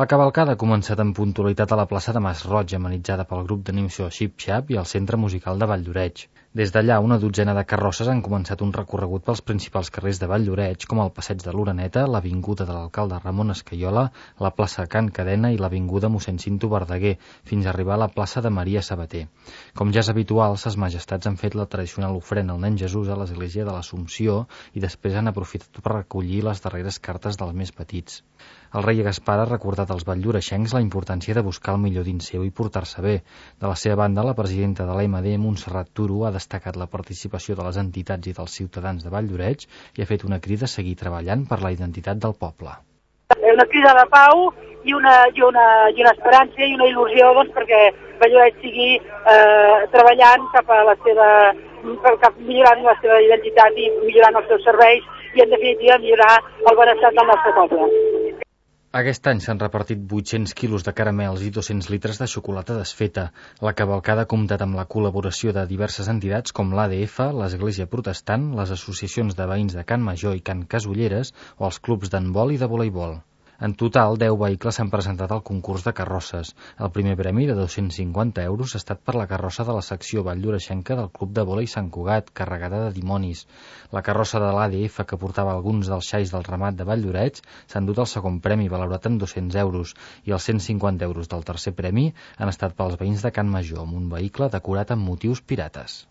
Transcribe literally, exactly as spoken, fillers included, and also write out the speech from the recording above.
La cavalcada ha començat amb puntualitat a la plaça de Mas-roig, amenitzada pel grup d'animació Xip-Xap i el Centre Musical de Vall-lloreig. Des d'allà, una dotzena de carrosses han començat un recorregut pels principals carrers de Vall-lloreig, com el Passeig de l'Oreneta, l'Avinguda de l'Alcalde Ramon Escaiola, la plaça Can Cadena i l'Avinguda mossèn Cinto Verdaguer, fins a arribar a la plaça de Maria Sabater. Com ja és habitual, ses majestats han fet la tradicional ofrena al nen Jesús a l'església de l'Assumpció i després han aprofitat per recollir les darreres cartes dels més petits. El rei Gaspar ha recordat als valldoreixencs la importància de buscar el millor dins seu i portar-se bé. De la seva banda, la presidenta de l'A M D, Montserrat Turo, ha destacat la participació de les entitats i dels ciutadans de Vall-lloreig i ha fet una crida a seguir treballant per la identitat del poble. Una crida de pau i una, i una, i una esperança i una il·lusió doncs, perquè Vall-lloreig sigui eh, treballant cap a la seva, cap millorant la seva identitat i millorant els seus serveis i, en definitiva, millorar el benestar del nostre poble. Aquest any s'han repartit vuit-cents quilos de caramels i dos-cents litres de xocolata desfeta. La cavalcada ha comptat amb la col·laboració de diverses entitats com l'A D F, l'Església Protestant, les associacions de veïns de Can Major i Can Casulleres o els clubs d'handbol i de voleibol. En total, deu vehicles s'han presentat al concurs de carrosses. El primer premi de dos-cents cinquanta euros ha estat per la carrossa de la secció valldoreixenca del Club de Vòlei Sant Cugat, carregada de dimonis. La carrossa de l'A D F, que portava alguns dels xais del ramat de Vall-lloreig, s'ha endut el segon premi, valorat en dos-cents euros, i els cent cinquanta euros del tercer premi han estat pels veïns de Can Major, amb un vehicle decorat amb motius pirates.